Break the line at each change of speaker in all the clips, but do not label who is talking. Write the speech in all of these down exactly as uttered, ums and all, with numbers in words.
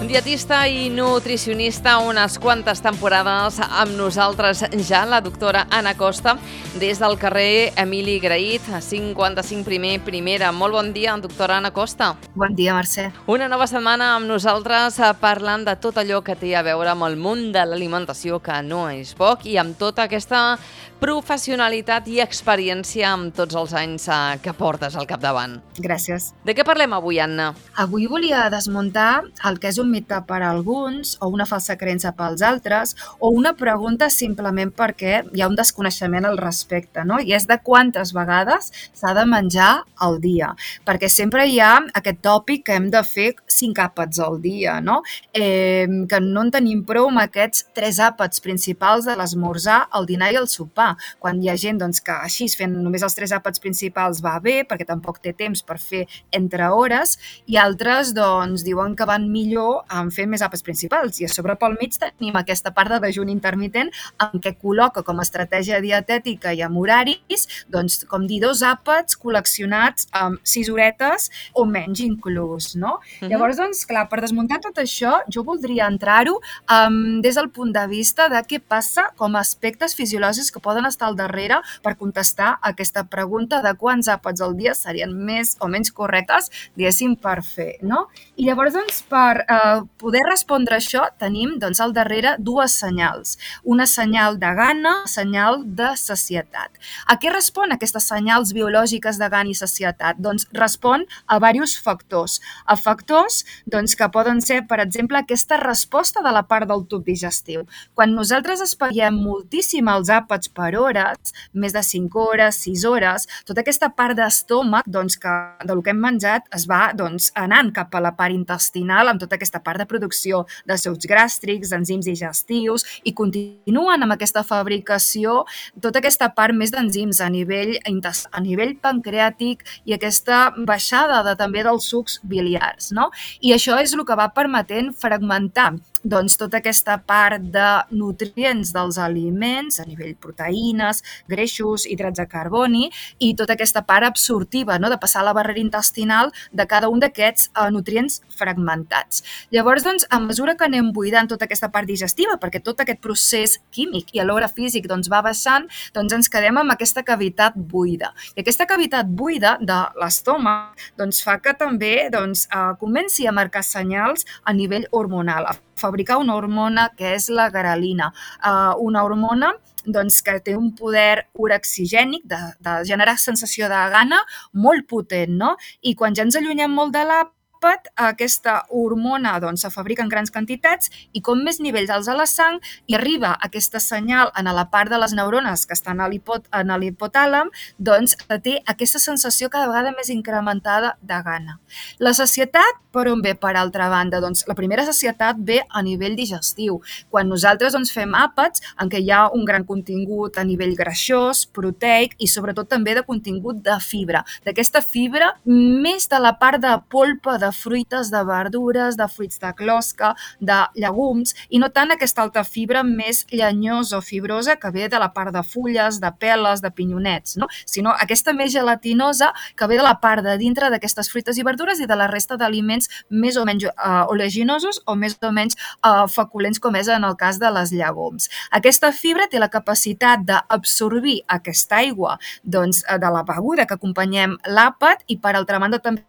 Dietista i nutricionista, unes quantes temporades amb nosaltres ja, la doctora Anna Costa, des del carrer Emili Grahit, cinquanta-cinc primer, primera. Molt bon dia, doctora Anna Costa.
Bon dia, Mercè.
Una nova setmana amb nosaltres parlant de tot allò que té a veure amb el món de l'alimentació, que no és poc, i amb tota aquesta professionalitat i experiència amb tots els anys que portes al capdavant.
Gràcies.
De què parlem avui, Anna?
Avui volia desmuntar el que és un mite per a alguns o una falsa creença pels altres o una pregunta simplement perquè hi ha un desconeixement al respecte, no? I és de quantes vegades s'ha de menjar al dia. Perquè sempre hi ha aquest tòpic que hem de fer cinc àpats al dia, no? Eh, que no en tenim prou amb aquests tres àpats principals de l'esmorzar, el dinar i el sopar. Quan hi ha gent doncs, que així fent només els tres àpats principals va bé, perquè tampoc té temps per fer entre hores, i altres doncs, diuen que van millor en fer més àpats principals. I a sobre pel mig tenim aquesta part de dejuni intermitent en què col·loca com a estratègia dietètica i amb horaris, doncs, com dir, dos àpats col·leccionats amb sis horetes o menys inclús, no? Uh-huh. Llavors, doncs, clar, per desmuntar tot això, jo voldria entrar-ho um, des del punt de vista de què passa com a aspectes fisiològics que poden estar al darrere per contestar aquesta pregunta de quants àpats al dia serien més o menys correctes, diguéssim, per fer, no? I llavors, doncs, per eh, poder respondre això, tenim doncs, al darrere dues senyals. Una senyal de gana, una senyal de sacietat. A què respon aquestes senyals biològiques de gana i sacietat? Doncs respon a diversos factors. A factors doncs, que poden ser, per exemple, aquesta resposta de la part del tub digestiu. Quan nosaltres espatllem moltíssim els àpats per hores, més de cinc hores, sis hores, tota aquesta part d'estómac doncs, que del que hem menjat es va doncs, anant cap a la part intestinal amb tota aquesta part de producció de sucs gàstrics, enzims digestius, i continuen amb aquesta fabricació tota aquesta part més d'enzims a nivell, a nivell pancreàtic i aquesta baixada de, també dels sucs biliars, no? I això és el que va permetent fragmentar doncs, tota aquesta part de nutrients dels aliments a nivell proteïnes, greixos, hidrats de carboni i tota aquesta part absortiva, no? De passar a la barrera intestinal de cada un d'aquests eh, nutrients fragmentats. Llavors, doncs, a mesura que anem buidant tota aquesta part digestiva, perquè tot aquest procés químic i alhora físic doncs, va baixant, doncs ens quedem amb aquesta cavitat buida. I aquesta cavitat buida de l'estómac doncs, fa que també doncs, eh, comenci a marcar senyals a nivell hormonal, a fabricar una hormona que és la grelina, uh, una hormona doncs, que té un poder urexigènic de, de generar sensació de gana molt potent, no? I quan ja ens allunyem molt de l'àpat, aquesta hormona doncs, se fabrica en grans quantitats i com més nivells alts a la sang i arriba aquesta senyal en la part de les neurones que estan a l'hipotàlam, doncs té aquesta sensació cada vegada més incrementada de gana. La sacietat, per on ve per altra banda? Doncs la primera sacietat ve a nivell digestiu. Quan nosaltres doncs, fem àpats en què hi ha un gran contingut a nivell greixós, proteic i sobretot també de contingut de fibra. D'aquesta fibra, més de la part de polpa de de fruites, de verdures, de fruits de closca, de llegums, i no tant aquesta alta fibra més llenyosa o fibrosa que ve de la part de fulles, de peles, de pinyonets, no? Sinó aquesta més gelatinosa que ve de la part de dintre d'aquestes fruites i verdures i de la resta d'aliments més o menys uh, oleginosos o més o menys uh, feculents, com és en el cas de les llegums. Aquesta fibra té la capacitat d'absorbir aquesta aigua doncs, de la beguda que acompanyem l'àpat i, per altra banda, també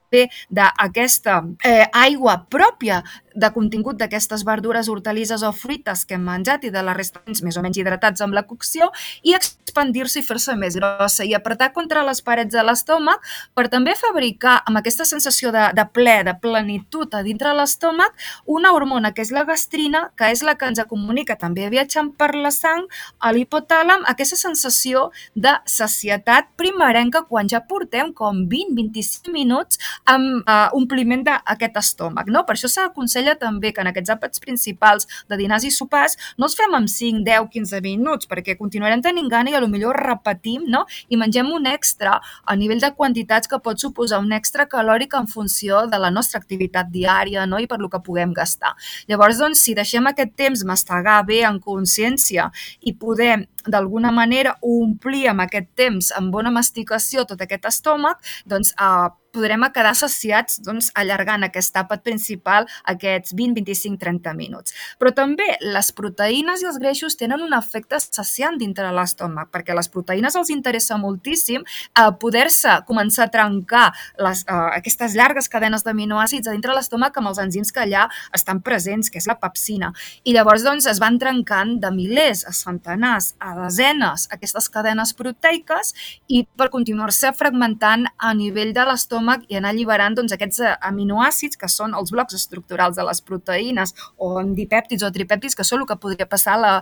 d'aquesta eh, aigua pròpia de contingut d'aquestes verdures, hortalisses o fruites que hem menjat i de la resta més o menys hidratats amb la cocció i expandir-se i fer-se més grossa i apretar contra les parets de l'estómac per també fabricar amb aquesta sensació de, de ple, de plenitud a dintre l'estómac una hormona que és la gastrina, que és la que ens comunica també viatjant per la sang a l'hipotàlam, aquesta sensació de sacietat primerenca quan ja portem com vint a vint-i-cinc minuts amb uh, ompliment d'aquest estómac, no? Per això s'aconsella també que en aquests àpats principals de dinars i sopars no els fem amb cinc, deu, quinze minuts, perquè continuarem tenint gana i a lo millor repetim, no? I mengem un extra a nivell de quantitats que pot suposar un extra calòric en funció de la nostra activitat diària, no? I per lo que puguem gastar. Llavors, doncs, si deixem aquest temps mastegar bé en consciència i podem d'alguna manera omplir amb aquest temps, amb bona masticació, tot aquest estómac, doncs eh, podrem quedar saciats doncs, allargant aquest àpat principal aquests vint, vint-i-cinc, trenta minuts. Però també les proteïnes i els greixos tenen un efecte saciant dintre l'estómac, perquè les proteïnes els interessa moltíssim eh, poder-se començar a trencar les, eh, aquestes llargues cadenes d'aminoàcids a dintre l'estómac amb els enzims que allà estan presents, que és la pepsina. I llavors doncs, es van trencant de milers a centenars, a desenes, aquestes cadenes proteiques i per continuar-se fragmentant a nivell de l'estómac i anar alliberant doncs, aquests aminoàcids que són els blocs estructurals de les proteïnes o en dipèptids o tripèptids, que són el que podria passar a la,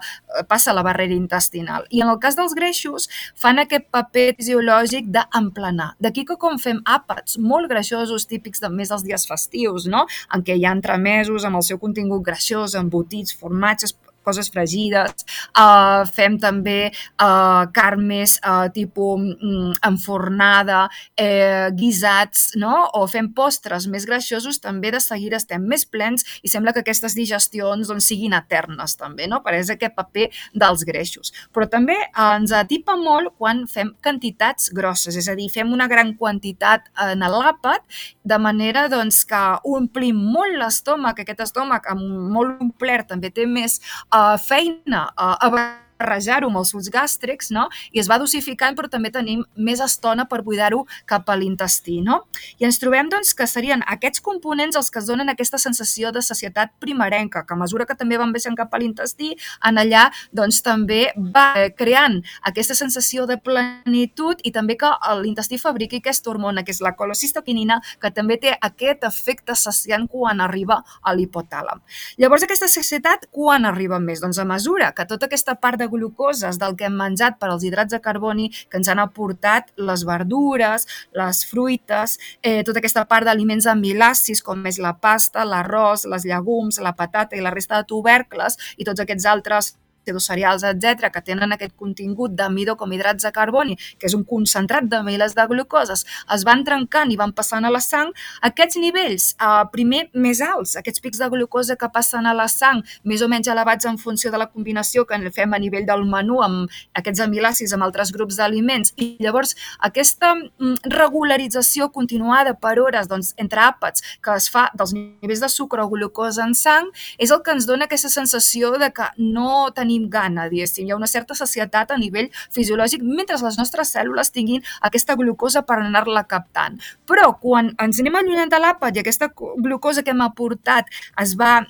passa a la barrera intestinal. I en el cas dels greixos fan aquest paper fisiològic d'emplenar. D'aquí que com fem àpats molt greixosos, típics de més dels dies festius, no? En què hi ha entremesos amb el seu contingut greixós, embotits, formatges, coses fregides, uh, fem també uh, carn més uh, tipus mm, enfornada, eh, guisats, no? O fem postres més greixosos, també de seguida estem més plens i sembla que aquestes digestions doncs, siguin eternes també, no? Per és aquest paper dels greixos. Però també uh, ens atipa molt quan fem quantitats grosses, és a dir, fem una gran quantitat en l'àpat, de manera doncs, que omplim molt l'estómac, aquest estómac amb molt omplert també té més Uh, feina uh, a barrejar-ho amb els sucs gàstrics, no? I es va dosificant, però també tenim més estona per buidar-ho cap a l'intestí, no? I ens trobem doncs, que serien aquests components els que es donen aquesta sensació de sacietat primerenca, que a mesura que també van baixant cap a l'intestí, en allà doncs, també va creant aquesta sensació de plenitud i també que l'intestí fabriqui aquesta hormona, que és la colecistoquinina, que també té aquest efecte saciant quan arriba a l'hipotàlam. Llavors, aquesta sacietat quan arriba més? Doncs a mesura que tota aquesta part de glucoses del que hem menjat per als hidrats de carboni que ens han aportat les verdures, les fruites, eh, tota aquesta part d'aliments amilàcids com és la pasta, l'arròs, les llegums, la patata i la resta de tubercles i tots aquests altres pseudocereals, etcètera, que tenen aquest contingut d'amidó com hidrats de carboni, que és un concentrat de milers de glucoses, es van trencant i van passant a la sang, aquests nivells, eh, primer més alts, aquests pics de glucosa que passen a la sang, més o menys elevats en funció de la combinació que fem a nivell del menú amb aquests amilàcids amb altres grups d'aliments, i llavors aquesta regularització continuada per hores doncs, entre àpats que es fa dels nivells de sucre o glucosa en sang, és el que ens dona aquesta sensació de que no tenim gana, diguéssim. Hi ha una certa sacietat a nivell fisiològic mentre les nostres cèl·lules tinguin aquesta glucosa per anar-la captant. Però quan ens anem allunyant de l'àpat i aquesta glucosa que hem aportat es va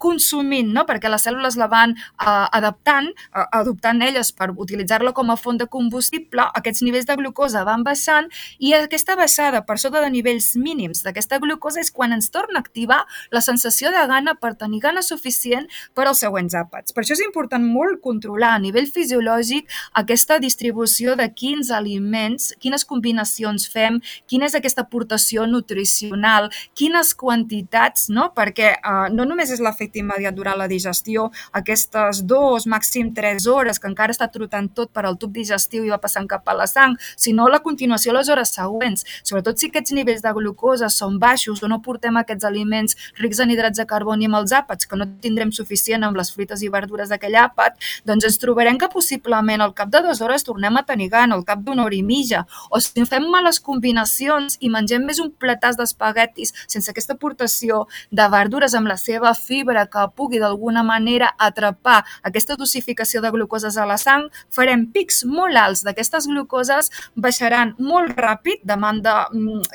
consumint, no? Perquè les cèl·lules la van uh, adaptant, uh, adoptant elles per utilitzar-la com a font de combustible, aquests nivells de glucosa van baixant i aquesta baixada per sota de nivells mínims d'aquesta glucosa és quan ens torna a activar la sensació de gana per tenir gana suficient per als següents àpats. Per això és important molt controlar a nivell fisiològic aquesta distribució de quins aliments, quines combinacions fem, quina és aquesta aportació nutricional, quines quantitats, no? Perquè eh, no només és l'efecte immediat durant la digestió, aquestes dues, màxim tres hores que encara està trotant tot per al tub digestiu i va passant cap a la sang, sinó la continuació a les hores següents, sobretot si aquests nivells de glucosa són baixos o no portem aquests aliments rics en hidrats de carboni amb els àpats, que no tindrem suficient amb les fruites i verdures d'aquell àpat, doncs ens trobarem que possiblement al cap de dues hores tornem a tenir gana, al cap d'una hora i mitja, o si fem males combinacions i mengem més un platàs d'espaguetis sense aquesta aportació de verdures amb la seva fibra que pugui d'alguna manera atrapar aquesta dosificació de glucoses a la sang, farem pics molt alts d'aquestes glucoses, baixaran molt ràpid, demanda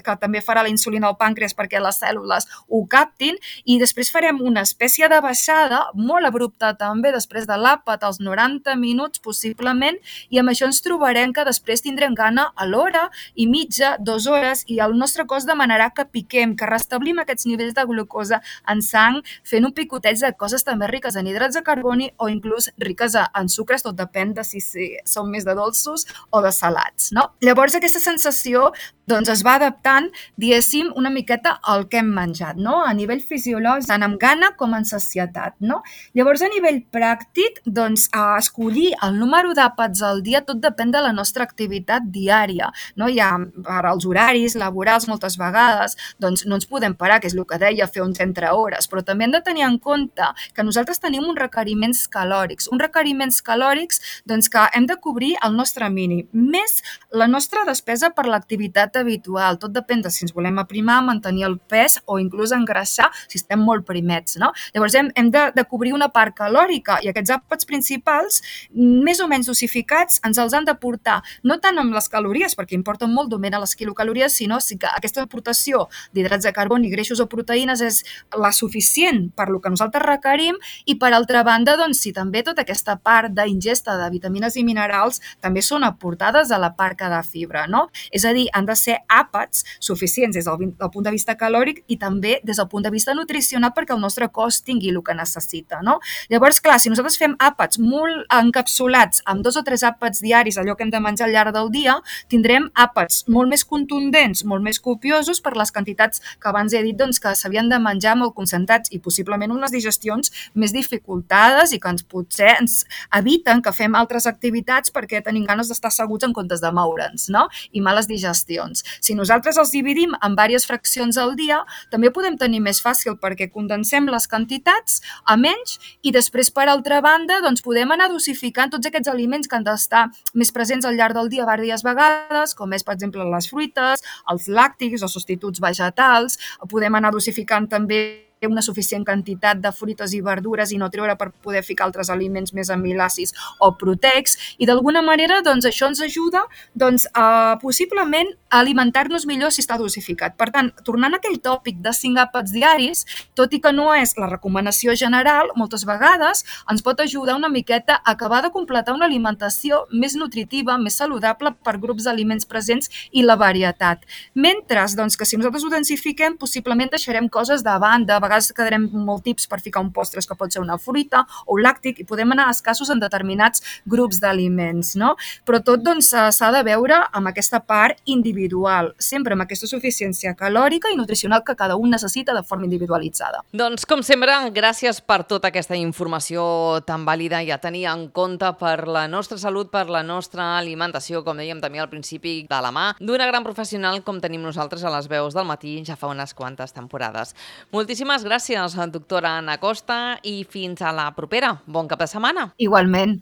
que també farà la insulina al pàncreas perquè les cèl·lules ho captin, i després farem una espècie de baixada molt abrupta també després de l'àpat als noranta minuts possiblement, i amb això ens trobarem que després tindrem gana a l'hora i mitja, dues hores, i el nostre cos demanarà que piquem, que restablim aquests nivells de glucosa en sang fent un picoteig de coses també riques en hidrats de carboni o inclús riques en sucres, tot depèn de si són més de dolços o de salats, no? Llavors aquesta sensació doncs es va adaptant, diguéssim, una miqueta al que hem menjat, no? A nivell fisiològic, tant amb gana com en sacietat, no? Llavors, a nivell pràctic, doncs, a escollir el número d'àpats al dia tot depèn de la nostra activitat diària, no? Hi ha per als horaris laborals moltes vegades, doncs no ens podem parar, que és el que deia, fer uns entre hores, però també hem de tenir en compte que nosaltres tenim uns requeriments calòrics, uns requeriments calòrics doncs, que hem de cobrir el nostre mínim, més la nostra despesa per l'activitat diet habitual. Tot depèn de si ens volem aprimar, mantenir el pes o inclús engreixar si estem molt primets, no? Llavors hem, hem de, de cobrir una part calòrica i aquests àpats principals, més o menys dosificats, ens els han de portar no tant amb les calories, perquè importen molt d'on venen les quilocalories, sinó sí que aquesta aportació d'hidrats de carboni, greixos o proteïnes és la suficient per lo que nosaltres requerim i per altra banda, doncs, si també tota aquesta part d'ingesta de vitamines i minerals també són aportades a la part que de fibra, no? És a dir, han de ser àpats suficients des del, del punt de vista calòric i també des del punt de vista nutricional perquè el nostre cos tingui el que necessita, no? Llavors, clar, si nosaltres fem àpats molt encapsulats amb dos o tres àpats diaris, allò que hem de menjar al llarg del dia, tindrem àpats molt més contundents, molt més copiosos per les quantitats que abans he dit doncs, que s'havien de menjar molt concentrats i possiblement unes digestions més dificultades i que ens potser ens eviten que fem altres activitats perquè tenim ganes d'estar asseguts en comptes de moure'ns, no? I males digestions. Si nosaltres els dividim en diverses fraccions al dia, també podem tenir més fàcil perquè condensem les quantitats a menys i després, per altra banda, doncs podem anar dosificant tots aquests aliments que han d'estar més presents al llarg del dia diverses vegades, com és, per exemple, les fruites, els làctics o substituts vegetals. Podem anar dosificant també una suficient quantitat de fruites i verdures i no treure per poder ficar altres aliments més amilàcids o proteics i d'alguna manera doncs, això ens ajuda doncs, a possiblement a alimentar-nos millor si està dosificat. Per tant, tornant a aquell tòpic de cinc àpats diaris, tot i que no és la recomanació general, moltes vegades ens pot ajudar una miqueta a acabar de completar una alimentació més nutritiva, més saludable per grups d'aliments presents i la varietat. Mentre doncs, que si nosaltres ho densifiquem, possiblement deixarem coses de banda, a vegades quedarem molt tips per ficar un postres que pot ser una fruita o un làctic i podem anar escassos en determinats grups d'aliments, no? Però tot doncs, s'ha de veure amb aquesta part individual, sempre amb aquesta suficiència calòrica i nutricional que cada un necessita de forma individualitzada.
Doncs, com sempre, gràcies per tota aquesta informació tan vàlida i a tenir en compte per la nostra salut, per la nostra alimentació, com dèiem també al principi, de la mà d'una gran professional com tenim nosaltres a les veus del matí ja fa unes quantes temporades. Moltíssimes gràcies, doctora Anna Costa, i fins a la propera. Bon cap de setmana.
Igualment.